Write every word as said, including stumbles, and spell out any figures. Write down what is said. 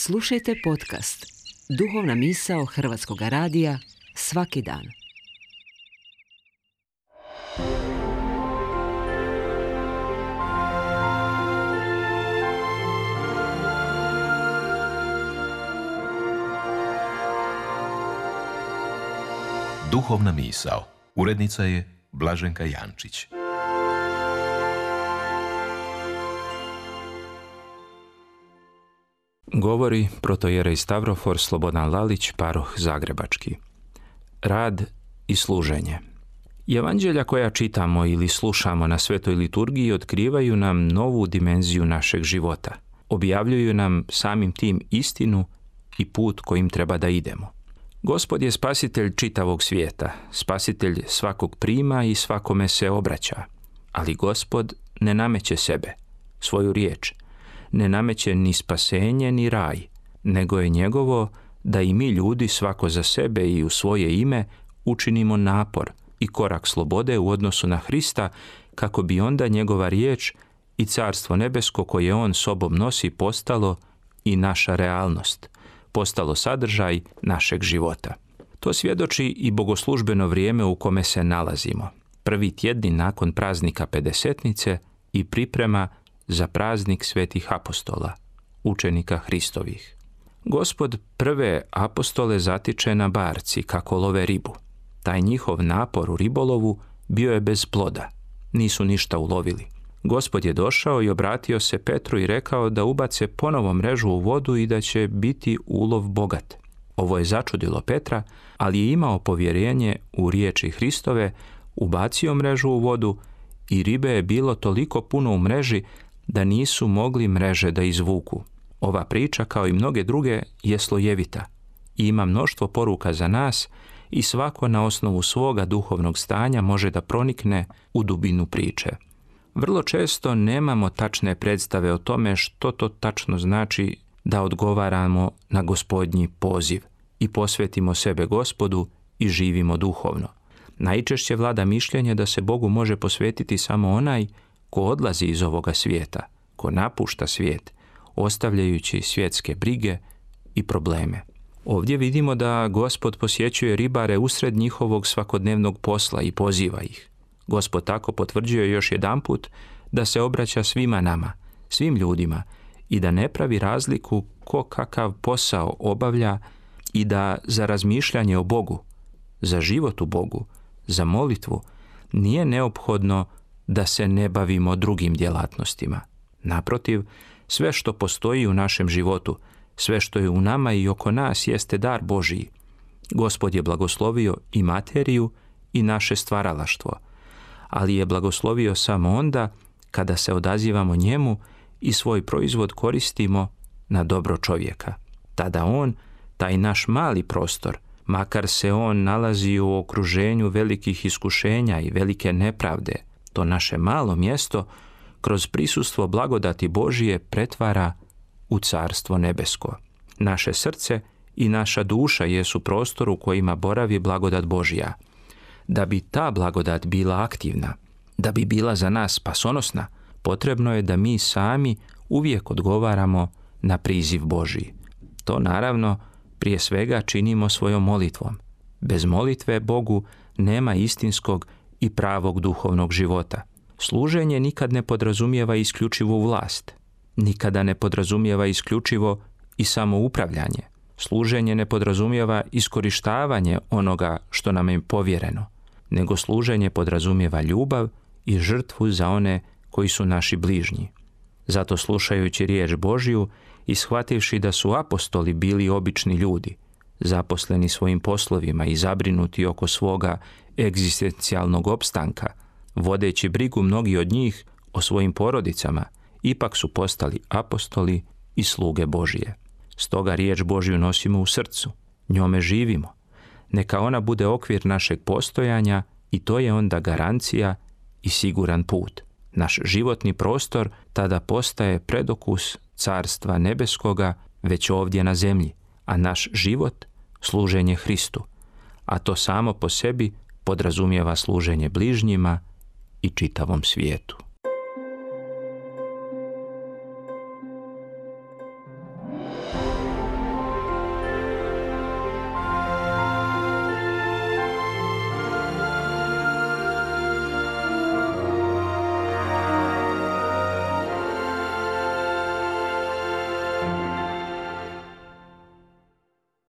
Slušajte podcast Duhovna misao Hrvatskog radija svaki dan. Duhovna misao. Urednica je Blaženka Jančić. Govori protojerej Stavrofor Slobodan Lalić, paroh zagrebački. Rad i služenje. Evanđelja koja čitamo ili slušamo na svetoj liturgiji otkrivaju nam novu dimenziju našeg života. Objavljuju nam samim tim istinu i put kojim treba da idemo. Gospod je spasitelj čitavog svijeta, spasitelj svakog prima i svakome se obraća. Ali Gospod ne nameće sebe, svoju riječ, ne nameće ni spasenje ni raj, nego je njegovo da i mi ljudi svako za sebe i u svoje ime učinimo napor i korak slobode u odnosu na Hrista, kako bi onda njegova riječ i carstvo nebesko koje on sobom nosi postalo i naša realnost, postalo sadržaj našeg života. To svjedoči i bogoslužbeno vrijeme u kome se nalazimo. Prvi tjedni nakon praznika Pedesetnice i priprema za praznik svetih apostola, učenika Hristovih. Gospod prve apostole zatiče na barci kako love ribu. Taj njihov napor u ribolovu bio je bez ploda. Nisu ništa ulovili. Gospod je došao i obratio se Petru i rekao da ubace ponovo mrežu u vodu i da će biti ulov bogat. Ovo je začudilo Petra, ali je imao povjerenje u riječi Hristove, ubacio mrežu u vodu i ribe je bilo toliko puno u mreži da nisu mogli mreže da izvuku. Ova priča, kao i mnoge druge, je slojevita i ima mnoštvo poruka za nas i svako na osnovu svoga duhovnog stanja može da pronikne u dubinu priče. Vrlo često nemamo tačne predstave o tome što to tačno znači da odgovaramo na Gospodnji poziv i posvetimo sebe Gospodu i živimo duhovno. Najčešće vlada mišljenje da se Bogu može posvetiti samo onaj ko odlazi iz ovoga svijeta, ko napušta svijet, ostavljajući svjetske brige i probleme. Ovdje vidimo da Gospod posjećuje ribare usred njihovog svakodnevnog posla i poziva ih. Gospod tako potvrđuje još jedanput da se obraća svima nama, svim ljudima i da ne pravi razliku ko kakav posao obavlja i da za razmišljanje o Bogu, za život u Bogu, za molitvu nije neophodno da se ne bavimo drugim djelatnostima. Naprotiv, sve što postoji u našem životu, sve što je u nama i oko nas jeste dar Božiji. Gospod je blagoslovio i materiju i naše stvaralaštvo, ali je blagoslovio samo onda kada se odazivamo njemu i svoj proizvod koristimo na dobro čovjeka. Tada on, taj naš mali prostor, makar se on nalazi u okruženju velikih iskušenja i velike nepravde, to naše malo mjesto kroz prisustvo blagodati Božije pretvara u carstvo nebesko. Naše srce i naša duša jesu prostor u kojima boravi blagodat Božja. Da bi ta blagodat bila aktivna, da bi bila za nas spasonosna, potrebno je da mi sami uvijek odgovaramo na priziv Božji. To naravno prije svega činimo svojom molitvom. Bez molitve Bogu nema istinskog i pravog duhovnog života. Služenje nikad ne podrazumijeva isključivu vlast. Nikada ne podrazumijeva isključivo i samoupravljanje. Služenje ne podrazumijeva iskorištavanje onoga što nam je povjereno, nego služenje podrazumijeva ljubav i žrtvu za one koji su naši bližnji. Zato slušajući riječ Božju i shvativši da su apostoli bili obični ljudi, zaposleni svojim poslovima i zabrinuti oko svoga egzistencijalnog opstanka, vodeći brigu mnogi od njih o svojim porodicama, ipak su postali apostoli i sluge Božije. Stoga riječ Božju nosimo u srcu, njome živimo. Neka ona bude okvir našeg postojanja i to je onda garancija i siguran put. Naš životni prostor tada postaje predokus carstva nebeskoga već ovdje na zemlji, a naš život služenje Hristu, a to samo po sebi podrazumijeva služenje bližnjima i čitavom svijetu.